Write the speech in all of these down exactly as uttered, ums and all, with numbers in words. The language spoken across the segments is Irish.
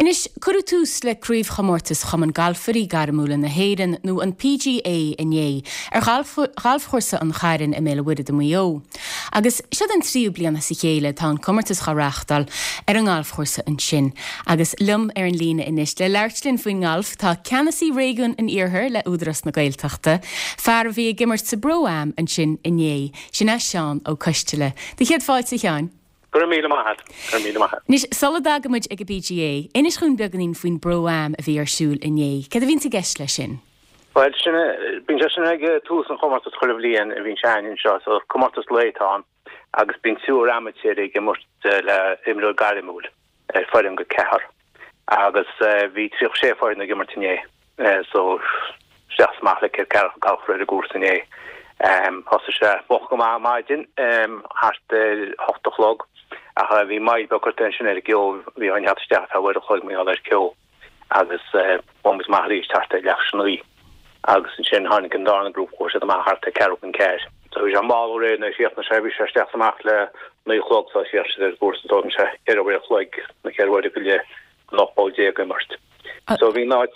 Anois, cuireadh tús le craobhchomórtas Chumann Galfairí Gairmiúla na hÉireann nó an P G A inné ar ghalfchúrsa an Chairn i mBéal an Mhuirthead i Maigh Eo. Agus seo an tríú bliain as a chéile tá an comórtas á reáchtáil ar an ngalfchúrsa ansin. Agus liom ar an líne anois le labhairt linn faoin ngalf tá ceannasaí réigiún an Iarthair le Údarás na Gaeltachta, fear a bhí ag imirt sa bPro-Am ansin inné, sin é Seán Ó Coisteala. Tá céad fáilte, a Sheáin. Gur míle maith gur míle maith. Anois sula dtagaimid ag an P G A, inis dúinn beagáinín faoin bPro-Am a bhí ar siúl inné. Cad a bhí i gceist leis sin? Well sin bíonn sé sin ag tús an chomórtais chuile bhliain a bhíonn sé anseo, so comórtas lae atá ann agus bíonn triúr amaitéir ag imirt le imreoir gairmiúil ar foireann go ceathrar. Agus bhí tríocha sé foireann ag imirt inné, so isteach is amach le ceithre galfar ar an gcúrsa inné. Um, Thosaigh sé moch go maith maidin um, thart ar hocht a chlog ach bhí moill beag curtha sin ar an gceo, bhí an isteach fe bhar chloig mé ar ceo agus bhí maith arís thart ar leath naoi agus ansin tháinig an darna grúpa chuaigh siad amach thart ar ceathrú chun ceathair. So bhí sé mall ré na síoch na sé bhí sé isteach amach le naoi a chlog sa siar ar gcúrsa dó sé ceithre uair a chloig na ceithre huaire go leith an ocht bpoll déag imirt. So bhí náit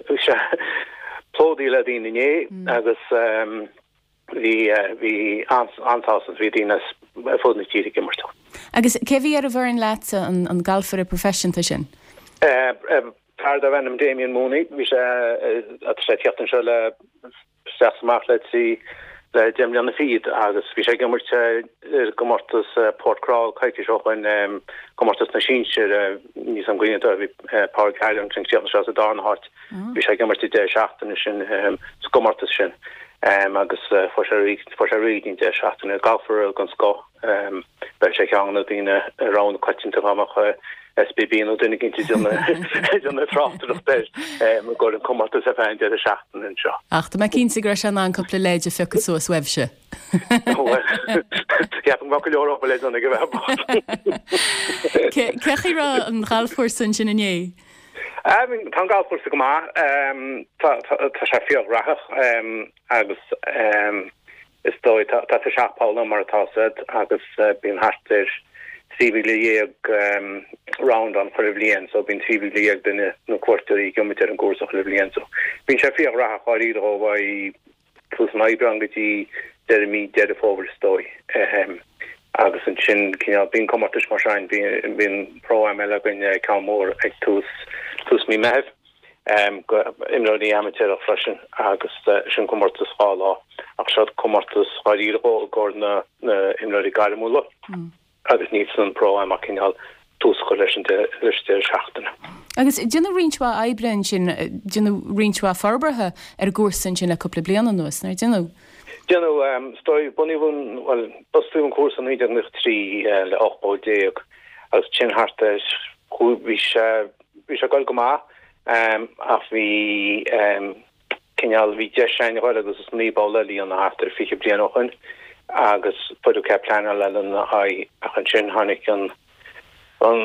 bhí sé plódaithe le daoine inné agus um, bhí bhí an-sásamh, bhí daoine fud na tíre ag imirt. Agus cé bhí ar an bhfoireann leat an, an galfaire proifisiúnta sin? Fear darb ainm Damien Mooney, bhí sé sé teacht seo le isteach amach le trí le deich mbliana fichead agus bhí sé ag imirt gcomórtas Port Crawl coicís ó shin, comórtas na sinsear níos an gcuine bhí Pádraig Harrington sé sa darna háit bhí sé ag imirt deireadh seachtaine sin sa gcomórtas sin. Um, agus uh, fuair sé rí de seachtaine galfaire den scoth um, be sé ceann na daoine rogha coitianta amach S B B nó duine éicint déanamh tráchtaireacht air go an comórtas a fein de seachtain seo. Ach tá mé cinnte go raibh sé an cúpla leid a phiocadh suas uaibhse. Ceapaim go leor le go bheith. Cén chaoi a raibh an galfchúrsa ansin inné? Tá an galfchúrsa go maith, tá sé fíor-rathúil agus is dóigh tá sé seacht bpoll mar atá siad agus bíonn thart ar trí mhíle dhéag round ann chuile bhliain, so bíonn trí mhíle dhéag duine nó cuairteoirí ag imirt ar an gcúrsa chuile bhliain so bíonn sé fíor-rathúil dáiríre ó bhí tús an Aibreán go dtí deireadh mí Deireadh Fómhair is dóigh. Agus ansin cineál bíonn comórtais mar sin, bíonn Pro-Am eile againn, ceann mór ag tús tús mí Meitheamh um, imreoirí amaitéarach freisin agus uh, sin comórtas dhá lá ach seo comórtas dáiríre i gcomhair na, na imreoirí gairmiúla mm. agus ní san Pro-Am ach cineál tús chur leis an leis deireadh seachtaine. Agus déanadh roinnt mhaith oibre ansin, déanadh roinnt mhaith forbartha ar an gcúrsa ansin le cúpla bliain anuas, nár déanadh? Déanadh um, stoi bunaíodh well bunaíodh an cúrsa naoi déag trí le ocht bpoll déag agus sin thart bhí sé bhí sé go go maith um, ach bhí um, cineál bhí deis againn agus is naoi bpoll a líonadh thart ar fiche bliain ó shin agus fuidir ce pleanáil le na haghaidh ach ansin tháinig an an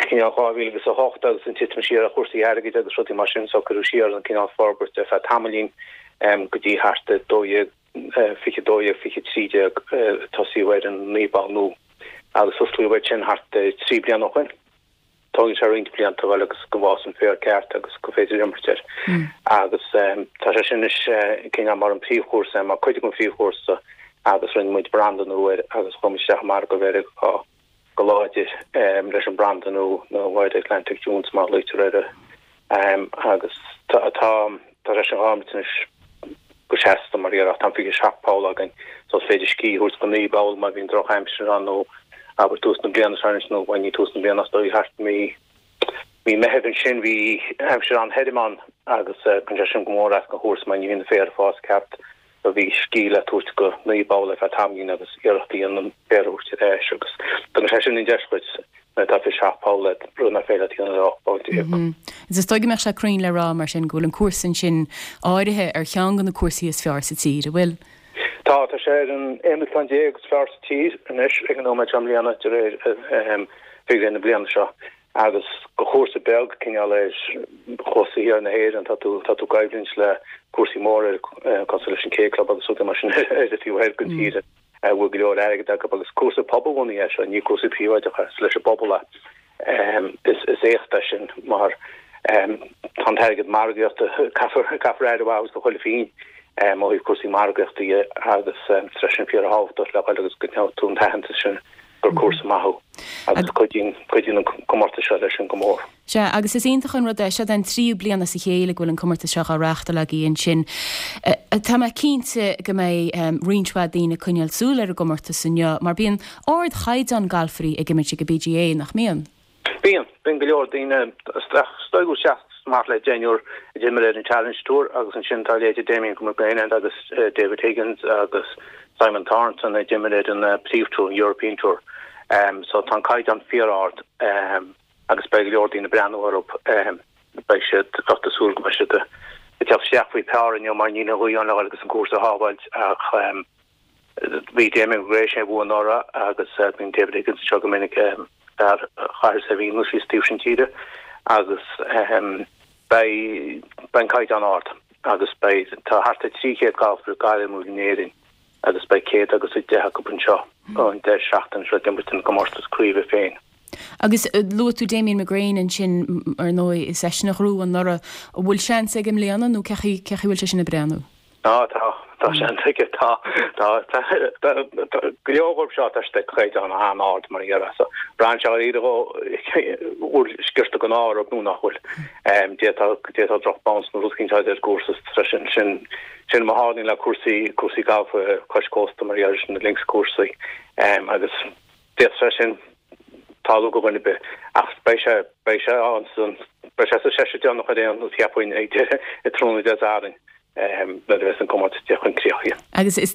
cineál dhá mhíle agus a hocht agus an titim siar a chúrsaí airgid agus rudaí mar sin so cuireadh siar an cineál forbairt ar feadh tamaillín um, go dtí thart dó dhéag fiche dó dhéag fiche trí déag tosaíodh ar an naoi bpoll nua agus osclaíodh sin thart trí bliana ó shin. Tógann sé roinnt blianta bhil agus go bhfásann an féar ceart agus go féidir imirt air. Agus tá sé sin is cineál mar an príomhchúrsa mar chuid den phríomhchúrsa agus rinne muid branda nua air agus chuaigh isteach mar go bhféidir go láidir leis an branda nua nó Wide Atlantic Dunes mar luitear um, agus tá tá sé sin gáis go seasta mar ar tá fiche seacht bpoll againn so is féidir scíth a thabhairt go naoi bpoll má bhíonn drochaimsir ann nó abair tús na bliana sean nó bhain tús na bliana dó thart mí mí Meitheamh ansin bhí aimsir an-thirim ann agus chun sé sin go mór as go chúrsa mar ní bhíonn féar ag fás ceart so bhí scíth le tabhairt go naoi bpoll le feadh tamaillín agus iarrachtaí an féar a éis agus Tá sé sin an deis chuid tá fiche seacht bpoll le rud nach féidir le ocht bpoll déag. Is dóigh go mbeadh sé cruinn le rá mar sin go bhfuil an cúrsa sin áirithe ar cheann de na cúrsaí is fearr sa tír, an bhfuil. Tá tá sé ar an aonú ceann déag is fearr sa tír anois ag an nóiméad seo i mbliana de réir figiúirí na bliana seo agus go chúrsa beag cineál ar chósta thiar na hÉireann tá tú tá tú ag coimhlint le cúrsaí móra cosúil leis an K Club agus rudaí mar sin ar an taobh thoir den tír bhfuil go leor airgead acu agus cúrsa pobalbhunaithe é seo ní cúrsa príobháideach leis an bpobal Is éacht é sin mar tá an t-airgead margaíochta, caithfear caithfear aire a thabhairt do chuile phingin ó thaobh cúrsaí margaíochta dhe agus tá sin fíorthábhachtach le dhul agus go mbeadh tú an t-aitheantas sin gur cúrsa maith thú agus cuidíonn cuidíonn an comórtas seo leis sin go mór. Sea, agus is iontach an rud é, seo an tríú bliain as a chéile go bhfuil an comórtas seo á reáchtáil agaibh ansin. Tá mé cinnte go mbeidh roinnt mhaith daoine ag coinneáil súil ar an gcomórtas inniu, mar bíonn ardchaighdeán galfairí ag imirt ag an BGA, nach mbíonn? Bíonn, bíonn go leor daoine, is dóigh go seacht amach le deichniúr a d'imir ar an Challenge Tour agus ansin tá leithéidí Damien McGrane agus David Higgins agus Simon Thornton a d'imir ar an príomh-tour, an European Tour. Um, so tá an caighdeán fíor-ard um, agus beidh go leor daoine ag breathnú orthu um, beidh siad ag súil go mbeidh siad ag teacht isteach faoi phar inniu mar níl an ghaoth ann le dhul agus an cúrsa a shábháilt ach um, bhí Damien McGrane sé bua anuraidh agus uh, bíonn David Higgins seo go minic um, ar chathair Sevilla síos taobh sin tíre agus um, beidh beidh an caighdeán ard agus beidh tá thart ar trí chéad galfaire gairmiúil in Éirinn agus beidh céad agus a deich acu anseo an deireadh seachtaine seo ag imirt an comórtas craoibhe féin. Agus luaigh tú Damien McGrane ansin ar ndóigh is eisean a ghnóthaigh anuraidh, an bhfuil seans aige i mbliana nó cé chaoi cé chaoi bhfuil sé sin ag breathnú? Tá tá tá seans aige tá tá tá go leor díobh seo tá siad ag caighdeán an-ard mar a so braitheann sé ar iad bhfuil sciorta den ádh orthu nó nach bhfuil. D'fhéadfadh d'fhéadfadh droch bounce nó rud éicint ar cúrsa sin sin sin mar a tharlaíonn le cúrsaí cúrsaí galf cois cósta mar gheall sin na links cúrsaí agus d'fhéadfadh sin tarlú do dhuine ar bith ach beidh sé beidh sé ann san beidh sé sa seisear deireanach ar aon nós cheapfainn ag deireadh i tráthnóna Dé Sathairn nuair a bheas an comórtas ag teacht chun críche. Agus is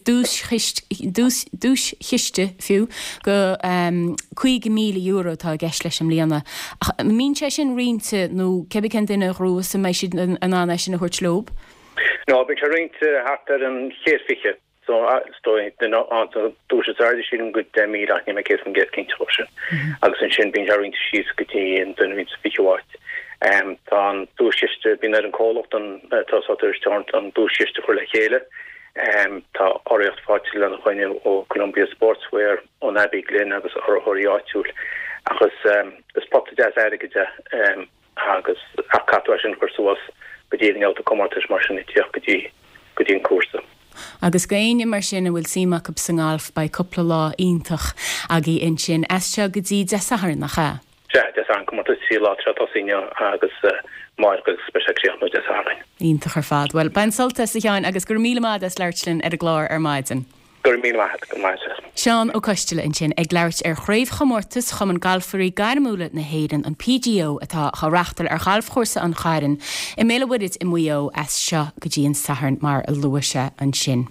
duaischiste fiú go caoga míle euro atá i gceist leis i mbliana. Ach an mbíonn sé sin roinnte nó cébí cén duine a ghnóthós an mbeidh siad in ann é sin a thabhairt leo? No, bíonn sé roinnte thart ar an chéad fiche. So is dóigh duine an duais is airde sílim go deich míle ach níl mé céad faoin gcéad cinnte dhó sin. Agus ansin bíonn sé roinnte síos go dtí an duine a bhíonn sa fichiú háit. Tá an duaischiste, bíonn ar an comhlacht an atá sa Tourist an duaischiste a chur le chéile. Tá urraíocht faighte lena choinne ó Columbia Sportswear, ón Abbey Glen agus urraitheoirí áitiúil. Ach is is pota deas airgid é agus ach caithfidh tú é sin a chur suas go dtí an mbabhta comórtais mar sin ag tíocht go dtí go dtí an cúrsa. Agus d'éinne mar sin a bhfuil suim acu sa ngalf beidh cúpla lá iontach agaibh ansin as seo go dtí Dé Sathairn, nach ea? Sea, Dé Sathairn, comórtas trí lá atá ag tosú inniu agus amárach agus beidh sé ag críochnú Dé Sathairn. Iontach ar fad. Bhuel, bain sult as a Sheáin agus go raibh míle maith as labhairt linn ar an gclár ar maidin. Go raibh míle maith agat, go maith sibh. Seán Ó Coisteala ansin ag labhairt ar Chraobhchomórtas Chumann Galfairí Gairmiúla na hÉireann, an PGO, atá á reáchtáil ar Ghalfchúrsa an Chairn i mBéal an Mhuirthead i Maigh Eo as seo go dtí an Satharn mar a luaigh sé ansin.